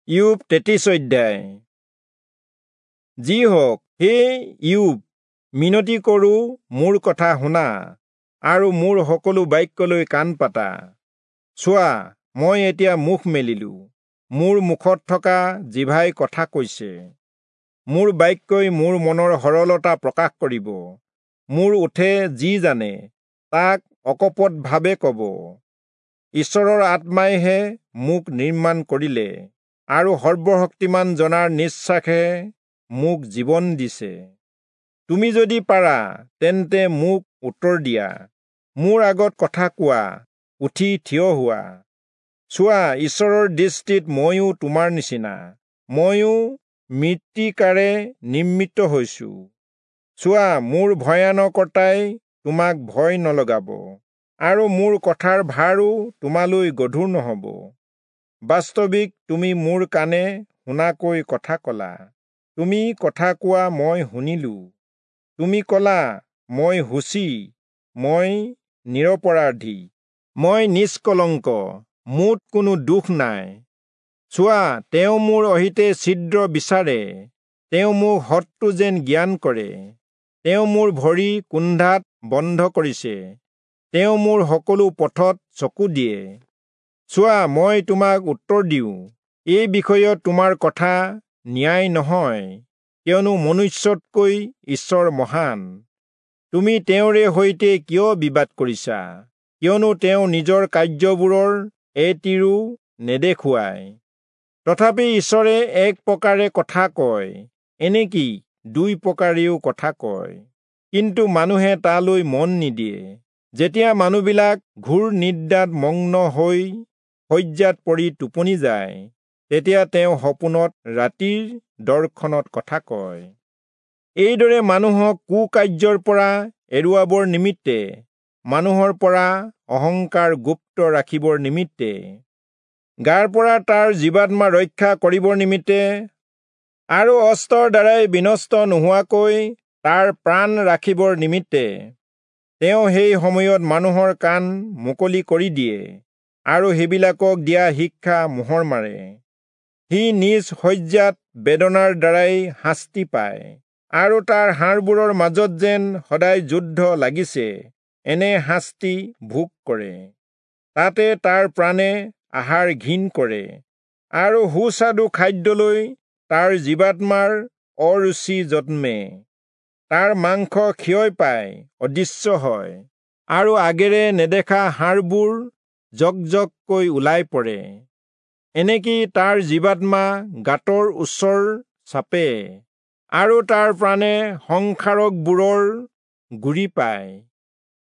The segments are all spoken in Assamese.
ইয়োব 33 অধ্যায়। যি হওক, হে ইয়োব, মিনতি কৰোঁ, মোৰ কথা শুনা আৰু মোৰ সকলো বাক্যলৈ কাণ পাতা। চোৱা, মই এতিয়া মুখ মেলিলো, মোৰ মুখত থকা জিভাই কথা কৈছে। মোৰ বাক্যই মোৰ মনৰ সৰলতা প্ৰকাশ কৰিব, মোৰ ওঁঠে যি জানে তাক অকপটভাৱে ক'ব। ঈশ্বৰৰ আত্মাইহে মোক নিৰ্মাণ কৰিলে আৰু সৰ্বশক্তিমান জনাৰ নিশ্বাসে মোক জীৱন দিছে। তুমি যদি পাৰা, তেন্তে মোক উত্তৰ দিয়া, মোৰ আগত কথা কোৱা, উঠি থিয় হোৱা। চোৱা, ঈশ্বৰৰ দৃষ্টিত ময়ো তোমাৰ নিচিনা, ময়ো মৃত্তিকাৰে নিৰ্মিত হৈছো। চোৱা, মোৰ ভয়ানকতাই তোমাক ভয় নলগাব, আৰু মোৰ কথাৰ ভাৰো তোমালৈ গধুৰ নহ'ব। বাস্তৱিক তুমি মোৰ কাণে শুনাকৈ কথা কলা, তুমি কথা কোৱা মই শুনিলো। তুমি কলা, মই শুচি, মই নিৰপৰাধী, মই নিষ্কলংক, মোত কোনো দোষ নাই। চোৱা, তেওঁ মোৰ অহিতে ছিদ্ৰ বিচাৰে, তেওঁ মোক শত্ৰু যেন জ্ঞান কৰে। তেওঁ মোৰ ভৰি কুন্ধাত বন্ধ কৰিছে, তেওঁ মোৰ সকলো পথত চকু দিয়ে। চোৱা, মই তোমাক উত্তৰ দিওঁ, এই বিষয়ত তোমাৰ কথা ন্যায় নহয়, কিয়নো মনুষ্যতকৈ ঈশ্বৰ মহান। তুমি তেওঁৰে সৈতে কিয় বিবাদ কৰিছা? কিয়নো তেওঁ নিজৰ কাৰ্যবোৰৰ এটিৰো নেদেখুৱায়। তথাপি ঈশ্বৰে এক প্ৰকাৰে কথা কয়, এনেকি দুই প্ৰকাৰেও কথা কয়, কিন্তু মানুহে তালৈ মন নিদিয়ে। যেতিয়া মানুহবিলাক ঘোৰ নিদ্ৰাত মগ্ন হৈ শয্যাত পৰি টোপনি যায়, তেতিয়া তেওঁ সপোনত ৰাতিৰ দৰ্শনত কথা কয়। এইদৰে মানুহক কুকাৰ্যৰ পৰা এৰুৱাবৰ নিমিত্তে, মানুহৰ পৰা অহংকাৰ গুপ্ত ৰাখিবৰ নিমিত্তে, গাৰ পৰা তাৰ জীৱাত্মা ৰক্ষা কৰিবৰ নিমিত্তে, আৰু অস্ত্ৰৰ দ্বাৰাই বিনষ্ট নোহোৱাকৈ তাৰ প্ৰাণ ৰাখিবৰ নিমিত্তে, তেওঁ সেই সময়ত মানুহৰ কাণ মুকলি কৰি দিয়ে আৰু সেইবিলাকক দিয়া শিক্ষা মোহৰ মাৰে। সি নিজ শয্যাত বেদনাৰ দ্বাৰাই শাস্তি পায়, আৰু তাৰ হাড়বোৰৰ মাজত যেন সদায় যুদ্ধ লাগিছে, এনে শাস্তি ভোগ কৰে। তাতে তাৰ প্ৰাণে আহাৰ ঘিণ কৰে, আৰু সুস্বাদু খাদ্যলৈ তাৰ জীৱাত্মাৰ অৰুচি জন্মে। তাৰ মাংস ক্ষয় পাই অদৃশ্য হয়, আৰু আগেৰে নেদেখা হাড়বোৰ জকজককৈ ওলাই পৰে। এনেকি তাৰ জীৱাত্মা গাঁতৰ ওচৰ চাপে, আৰু তাৰ প্ৰাণে সংসাৰকবোৰৰ গুৰি পায়।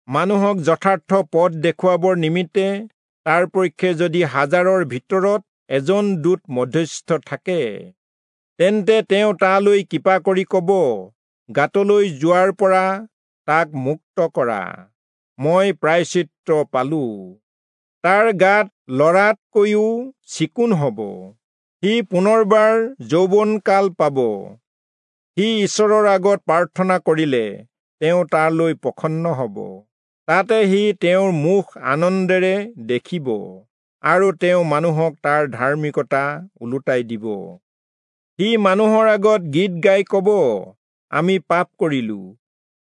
মানুহক যথাৰ্থ পথ দেখুৱাবৰ নিমিত্তে তাৰ পক্ষে যদি হাজাৰৰ ভিতৰত এজন দূত মধ্যস্থ থাকে, তেন্তে তেওঁ তালৈ কৃপা কৰি ক'ব, গাঁতলৈ যোৱাৰ পৰা তাক মুক্ত কৰা, মই প্ৰায়শ্চিত্ত পালো। তাৰ গাত লৰাতকৈও চিকুণ হ'ব, সি পুনৰবাৰ যৌৱনকাল পাব। সি ঈশ্বৰৰ আগত প্ৰাৰ্থনা কৰিলে তেওঁ তালৈ প্ৰসন্ন হ'ব, তাতে সি তেওঁৰ মুখ আনন্দেৰে দেখিব, আৰু তেওঁ মানুহক তাৰ ধাৰ্মিকতা ওলোটাই দিব। সি মানুহৰ আগত গীত গাই ক'ব, আমি পাপ কৰিলো,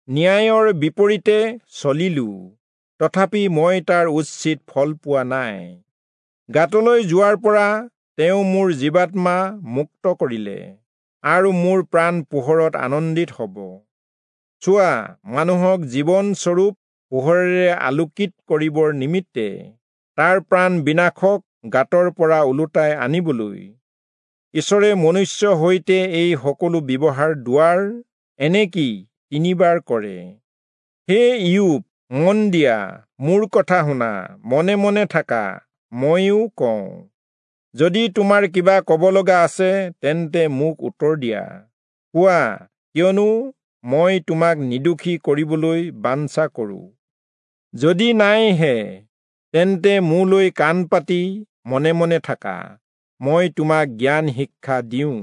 ন্যায়ৰ বিপৰীতে চলিলো, তথাপি মই তাৰ উচিত ফল পোৱা নাই। গাঁতলৈ যোৱাৰ পৰা তেওঁ মোৰ জীৱাত্মা মুক্ত কৰিলে, আৰু মোৰ প্ৰাণ পোহৰত আনন্দিত হ'ব। চোৱা, মানুহক জীৱনস্বৰূপ পোহৰেৰে আলোকিত কৰিবৰ নিমিত্তে, তাৰ প্ৰাণ বিনাশক গাঁতৰ পৰা ওলোটাই আনিবলৈ, ঈশ্বৰে মনুষ্য সৈতে এই সকলো ব্যৱহাৰ দুৱাৰ, এনেকি তিনিবাৰ কৰে। হে ইয়োব, মন দিয়া, মোৰ কথা শুনা, মনে মনে থাকা, ময়ো কওঁ। যদি তোমাৰ কিবা ক'ব লগা আছে, তেন্তে মোক উত্তৰ দিয়া, কোৱা, কিয়নো মই তোমাক নিৰ্দোষী কৰিবলৈ বাঞ্ছা কৰোঁ। যদি নাইহে, তেন্তে মোলৈ কাণ পাতি মনে মনে থাকা, মই তোমাক জ্ঞান শিক্ষা দিওঁ।